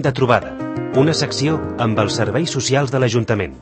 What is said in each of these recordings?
de trobada, una secció amb els serveis socials de l'Ajuntament.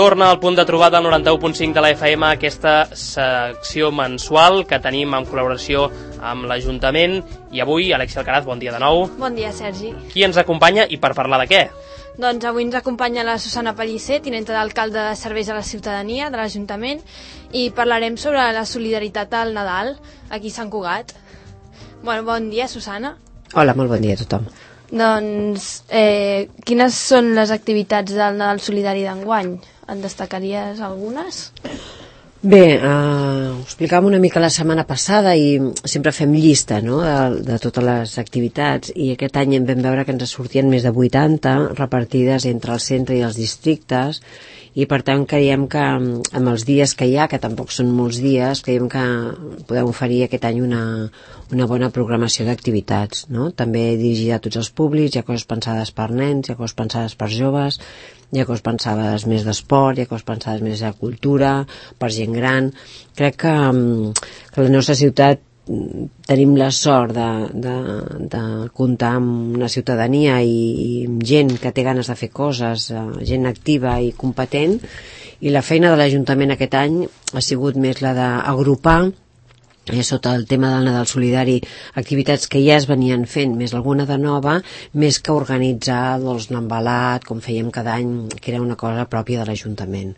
Torna al punt de trobada al 91.5 de la FM, aquesta secció mensual que tenim en col·laboració amb l'Ajuntament. I avui, Alexia Alcaraz, bon dia de nou. Bon dia, Sergi. Qui ens acompanya i per parlar de què? Doncs avui ens acompanya la Susana Pellicer, tinenta d'alcalde de Serveis a la Ciutadania de l'Ajuntament, i parlarem sobre la solidaritat al Nadal aquí a Sant Cugat. Bon dia, Susana. Hola, molt bon dia a tothom. Doncs, quines són les activitats del Nadal Solidari d'enguany? En destacaries algunes? Bé, ho explicàvem una mica la setmana passada i sempre fem llista, no?, de totes les activitats, i aquest any en vam veure que ens sortien més de 80 repartides entre el centre i els districtes, i per tant creiem que amb els dies que hi ha, que tampoc són molts dies, creiem que podem oferir aquest any una bona programació d'activitats, no? També dirigida a tots els públics. Hi ha coses pensades per nens, hi ha coses pensades per joves, hi ha coses pensades més d'esport, hi ha coses pensades més de cultura, per gent gran. Crec que la nostra ciutat tenim la sort de comptar amb una ciutadania i gent que té ganes de fer coses, gent activa i competent, i la feina de l'Ajuntament aquest any ha sigut més la d'agrupar sota el tema del Nadal Solidari activitats que ja es venien fent, més alguna de nova, més que organitzar l'embalat com fèiem cada any, que era una cosa pròpia de l'Ajuntament.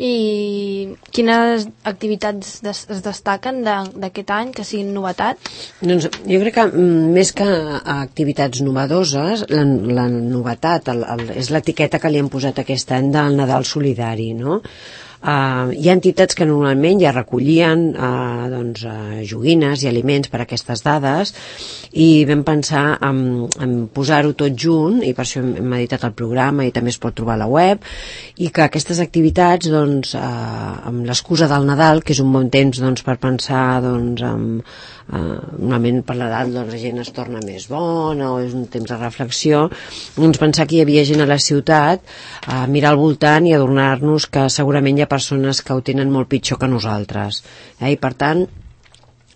I quines activitats es destaquen d'aquest any que siguin novetat? Doncs jo crec que més que activitats novedoses, la novetat és l'etiqueta que li han posat aquest any del Nadal Solidari, no? Hi ha entitats que normalment ja recollien joguines i aliments per a aquestes dades, i vam pensar en posar-ho tot junt, i per això hem editat el programa i també es pot trobar a la web, i que aquestes activitats, amb l'excusa del Nadal, que és un bon temps per pensar normalment per l'edat la gent es torna més bona o és un temps de reflexió, pensar que hi havia gent a la ciutat a mirar al voltant i adonar-nos que segurament hi ha persones que ho tenen molt pitjor que nosaltres, i per tant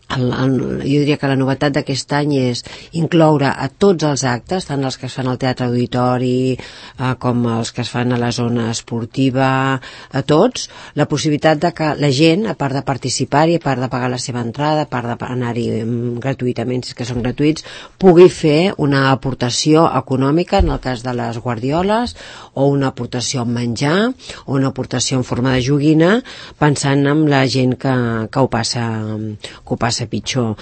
jo diria que la novetat d'aquest any és incloure a tots els actes, tant els que es fan al Teatre Auditori com els que es fan a la zona esportiva, a tots, la possibilitat de que la gent, a part de participar-hi, a part de pagar la seva entrada, a part d'anar-hi gratuïtament, si és que són gratuïts, pugui fer una aportació econòmica, en el cas de les guardioles, o una aportació en menjar, o una aportació en forma de joguina, pensant en la gent que ho passa pitjor.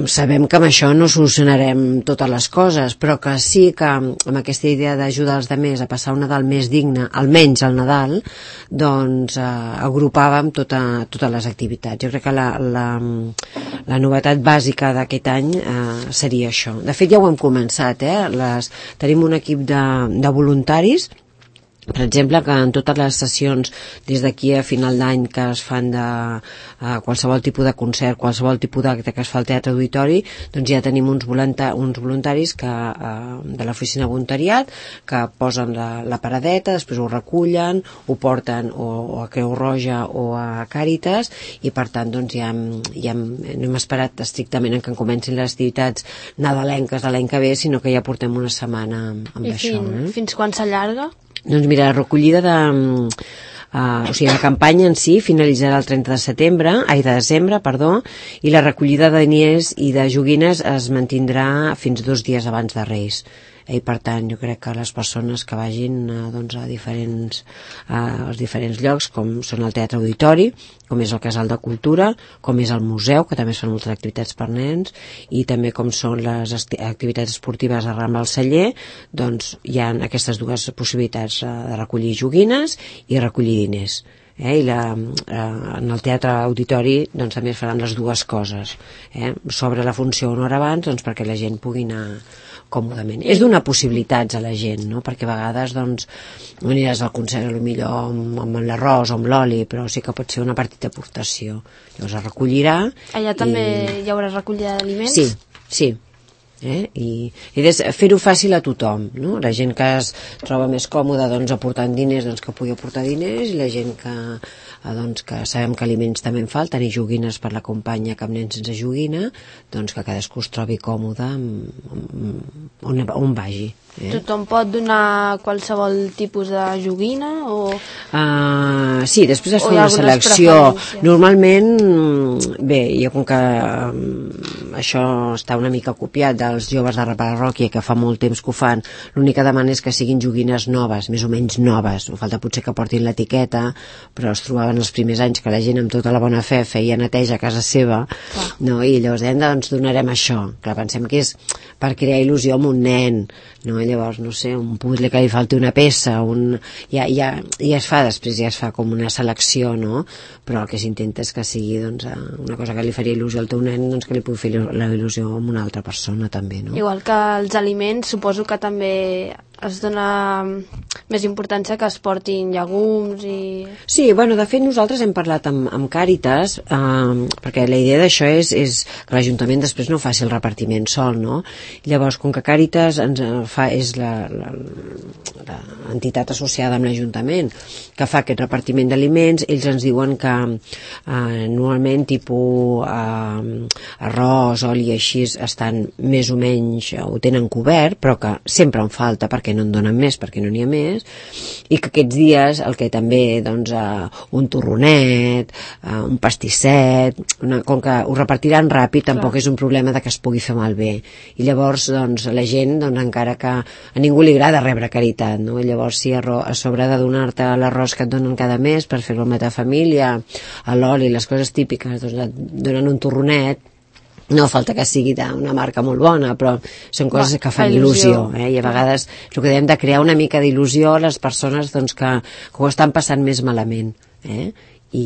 Sabem que amb això no solucionarem totes les coses, però que sí que amb aquesta idea d'ajudar els altres a passar un Nadal més digne, almenys al Nadal, agrupàvem totes les activitats. Jo crec que la novetat bàsica d'aquest any seria això. De fet ja ho hem començat, tenim un equip de voluntaris, per exemple, que en totes les sessions des d'aquí a final d'any que es fan de qualsevol tipus de concert, qualsevol tipus d'acte que es fa al Teatre Auditori, doncs ja tenim uns voluntaris de l'oficina de voluntariat que posen la paradeta, després ho recullen, ho porten o a Creu Roja o a Càritas, i per tant ja no hem esperat estrictament que comencin les activitats nadalenques de l'any que ve, sinó que ja portem una setmana amb això. Fins quan s'allarga? Doncs mira, la recollida la campanya en si finalitzarà el 30 de desembre, i la recollida de diners i de joguines es mantindrà fins 2 dies abans de Reis. I per tant jo crec que les persones que vagin a als diferents llocs, com són el Teatre Auditori, com és el Casal de Cultura, com és el museu, que també es fan moltes activitats per nens, i també com són les activitats esportives a Rambla al Celler, doncs hi ha aquestes dues possibilitats de recollir joguines i recollir diners. I en el Teatre Auditori també es faran les dues coses. S'obre la funció una hora abans perquè la gent pugui anar còmodament. És donar possibilitats a la gent, no? Perquè a vegades doncs, no aniràs al concert millor amb l'arròs o amb l'oli, però sí que pot ser una petita aportació. Llavors es recollirà. Allà també hi haurà recollida d'aliments? Sí. I fer-ho fàcil a tothom, no? La gent que es troba més còmoda doncs, aportant diners, doncs, que pugui aportar diners, i la gent que sabem que aliments també en falten i joguines per l'acompanya cap nen sense joguina, doncs que cadascú es trobi còmode on vagi. Tothom pot donar qualsevol tipus de joguina? Sí, després es fa una selecció. Normalment, bé, jo com que això està una mica copiat dels joves de la parròquia, que fa molt temps que ho fan, l'únic que demana és que siguin joguines noves, més o menys noves. No falta potser que portin l'etiqueta, però es trobaven els primers anys que la gent amb tota la bona fe feia neteja a casa seva, no? I llavors doncs donarem això. Clar, pensem que és per crear il·lusió amb un nen, no? Llavors, no sé, un puzzle que li falti una peça, ja es fa després, ja es fa com una selecció, no? Però el que s'intenta és que sigui doncs, una cosa que li faria il·lusió al teu nen, doncs que li pugui fer la il·lusió amb una altra persona també, no? Igual que els aliments, suposo que també es dona més importància que es portin llegums i... Sí, bueno, de fet nosaltres hem parlat amb Càritas, perquè la idea d'això és que l'Ajuntament després no faci el repartiment sol, no? Llavors, com que Càritas és l'entitat associada amb l'Ajuntament que fa aquest repartiment d'aliments, ells ens diuen que normalment tipus arròs, oli i així estan més o menys, ho tenen cobert, però que sempre en falta perquè no en donen més, perquè no n'hi ha més, i que aquests dies el que també doncs, un torronet, un pastisset, com que ho repartiran ràpid, tampoc és un problema de que es pugui fer malbé. I llavors doncs, la gent, doncs, encara que a ningú li agrada rebre caritat, no? I llavors si a sobre de donar-te l'arròs que et donen cada mes per fer-lo amb la teva família, l'oli, les coses típiques, doncs et donen un torronet, no falta que sigui d'una marca molt bona, però són coses que fan il·lusió, i a vegades el que hem de crear una mica d'il·lusió a les persones doncs, que ho estan passant més malament, i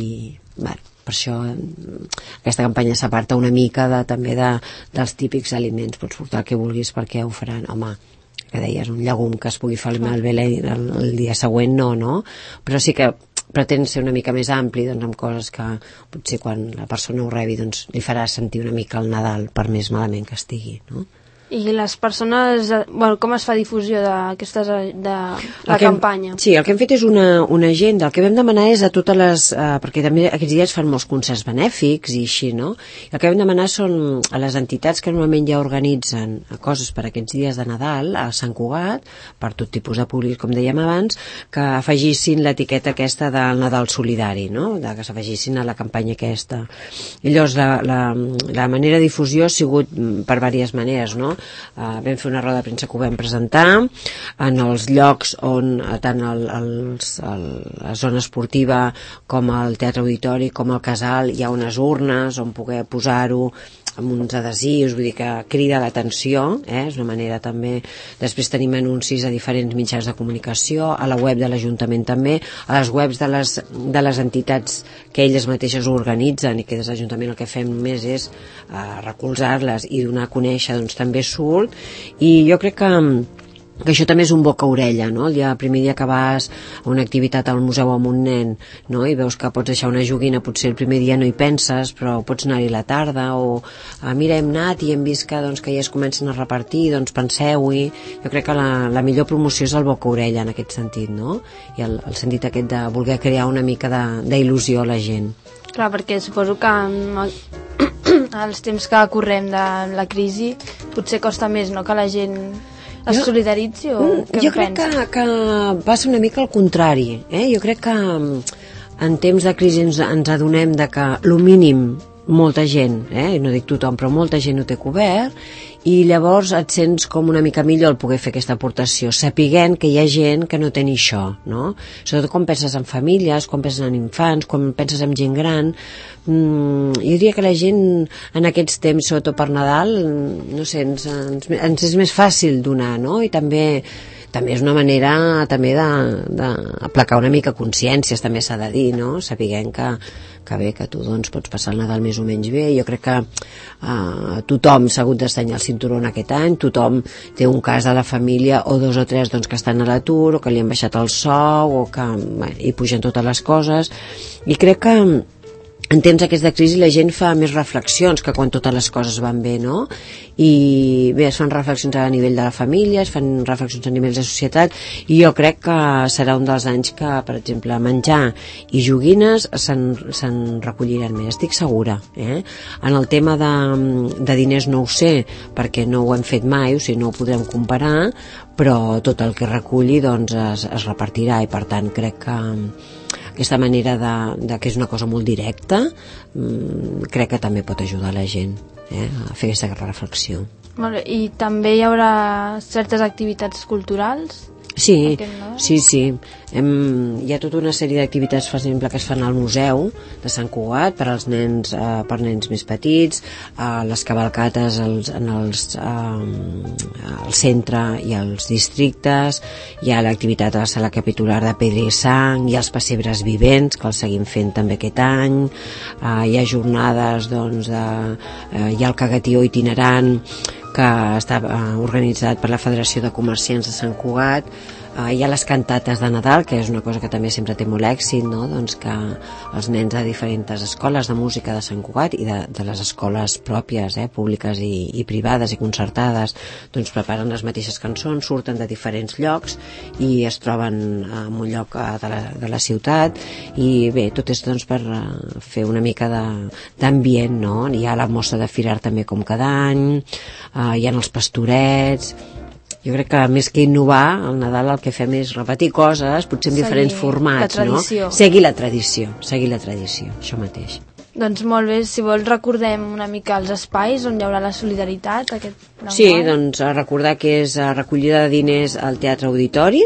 bueno, per això aquesta campanya s'aparta una mica també dels típics aliments. Pots portar el que vulguis perquè ho faran, home, que deies, un llegum que es pugui fer malbé el dia següent, no? Però sí que pretén ser una mica més ampli, doncs, amb coses que potser quan la persona ho rebi doncs, li farà sentir una mica el Nadal per més malament que estigui, no? I les persones, bueno, com es fa difusió de la campanya? Sí, el que hem fet és una agenda. El que vam demanar és a totes les... perquè també aquests dies fan molts concerts benèfics i així, no? I el que vam demanar són a les entitats que normalment ja organitzen coses per aquests dies de Nadal a Sant Cugat, per tot tipus de públic, com dèiem abans, que afegissin l'etiqueta aquesta del Nadal solidari, no? Que s'afegissin a la campanya aquesta. I llavors la manera de difusió ha sigut per diverses maneres, no? Vam fer una roda de premsa que ho vam presentar en els llocs on tant la zona esportiva com el teatre auditori com el casal hi ha unes urnes on poder posar-ho amb uns adhesius, vull dir que crida l'atenció, és una manera també. Després tenim anuncis a diferents mitjans de comunicació, a la web de l'Ajuntament també, a les webs de les entitats que elles mateixes organitzen i que des de l'Ajuntament el que fem només és recolzar-les i donar a conèixer, doncs també surt, i jo crec que això també és un boca-orella, no? El primer dia que vas a una activitat al museu amb un nen, no? I veus que pots deixar una joguina, potser el primer dia no hi penses, però pots anar-hi la tarda, o mira, hem anat i hem vist que ja es comencen a repartir, doncs penseu-hi. Jo crec que la millor promoció és el boca-orella en aquest sentit, no? I el sentit aquest de voler crear una mica d'il·lusió a la gent. Clar, perquè suposo que als temps que correm de la crisi potser costa més, no?, que la gent es solidaritzi, o què jo crec que va ser una mica al contrari, jo crec que en temps de crisi ens adonem de que el mínim molta gent, no dic tothom, però molta gent ho té cobert, i llavors et sents com una mica millor el poder fer aquesta aportació, sapiguent que hi ha gent que no té ni això, no? Sobretot quan penses en famílies, quan penses en infants, quan penses en gent gran. Jo diria que la gent en aquests temps, sobretot per Nadal, no sé, ens és més fàcil donar, no? I també també és una manera també d'aplacar una mica consciències, també s'ha de dir, no? Sapiguem que bé, que tu doncs pots passar el Nadal més o menys bé. Jo crec que tothom s'ha hagut d'estanyar el cinturó en aquest any, tothom té un cas de la família o 2 o 3 doncs, que estan a l'atur o que li han baixat el sou o que hi pugen totes les coses, i crec que en temps aquests de crisi la gent fa més reflexions que quan totes les coses van bé, no? I bé, es fan reflexions a nivell de la família, es fan reflexions a nivell de societat, i jo crec que serà un dels anys que, per exemple, menjar i joguines se'n recolliran més, estic segura. En el tema de diners no ho sé, perquè no ho hem fet mai, o sigui, no ho podrem comparar, però tot el que reculli doncs, es repartirà, i per tant crec que aquesta manera que és una cosa molt directa, crec que també pot ajudar la gent a fer aquesta reflexió. Molt bé. I també hi haurà certes activitats culturals? Sí. Hi ha tota una sèrie d'activitats, per exemple, que es fan al museu de Sant Cugat per als nens, per nens més petits, les cavalcates al centre i als districtes, hi ha l'activitat a la sala capitular de Pedra i Sang, hi ha els pessebres vivents, que els seguim fent també aquest any, hi ha jornades, doncs, hi ha el cagatió itinerant, que està organitzat per la Federació de Comerciants de Sant Cugat, hi ha les cantates de Nadal, que és una cosa que també sempre té molt èxit, no? Doncs que els nens de diferents escoles de música de Sant Cugat i de les escoles pròpies, públiques i privades i concertades, doncs preparen les mateixes cançons, surten de diferents llocs i es troben en un lloc de la ciutat, i bé, tot és doncs per fer una mica d'ambient, no? Hi ha la mostra de Firar també com cada any, hi ha els pastorets. Jo crec que més que innovar, al Nadal el que fem és repetir coses, potser en diferents formats, no? Seguir la tradició, això mateix. Doncs molt bé, si vols recordem una mica els espais on hi haurà la solidaritat aquest enguany. Sí, doncs recordar que és recollida de diners al Teatre Auditori,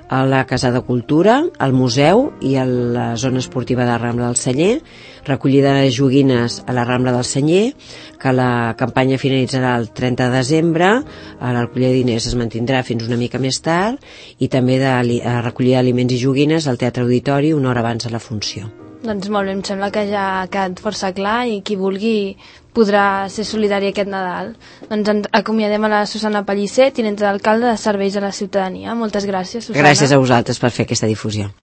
a la Casa de Cultura, al Museu i a la zona esportiva de Rambla del Celler, recollida de joguines a la Rambla del Celler, que la campanya finalitzarà el 30 de desembre, la recollida de diners es mantindrà fins una mica més tard, i també de recollida d'aliments i joguines al Teatre Auditori una hora abans de la funció. Doncs molt bé, em sembla que ja ha quedat força clar i qui vulgui podrà ser solidari aquest Nadal. Doncs ens acomiadem a la Susana Pellicer, tinent d'alcalde de Serveis a la Ciutadania. Moltes gràcies, Susana. Gràcies a vosaltres per fer aquesta difusió.